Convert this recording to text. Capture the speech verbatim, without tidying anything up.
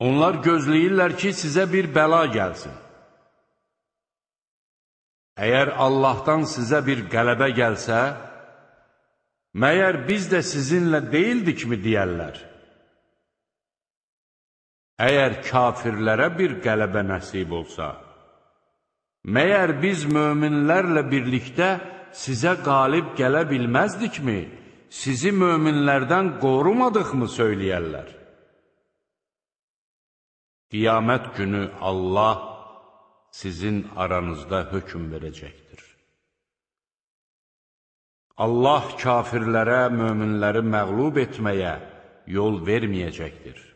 Onlar gözləyirlər ki, sizə bir bəla gəlsin. Əgər Allahdan sizə bir qələbə gəlsə, məyər biz də sizinlə deyildikmi deyərlər? Əgər kafirlərə bir qələbə nəsib olsa, məyər biz möminlərlə birlikdə sizə qalib gələ bilməzdikmi, sizi möminlərdən qorumadıqmı söyləyərlər? Qiyamət günü Allah sizin aranızda hökm verəcəkdir. Allah kafirlərə, möminləri məğlub etməyə yol verməyəcəkdir.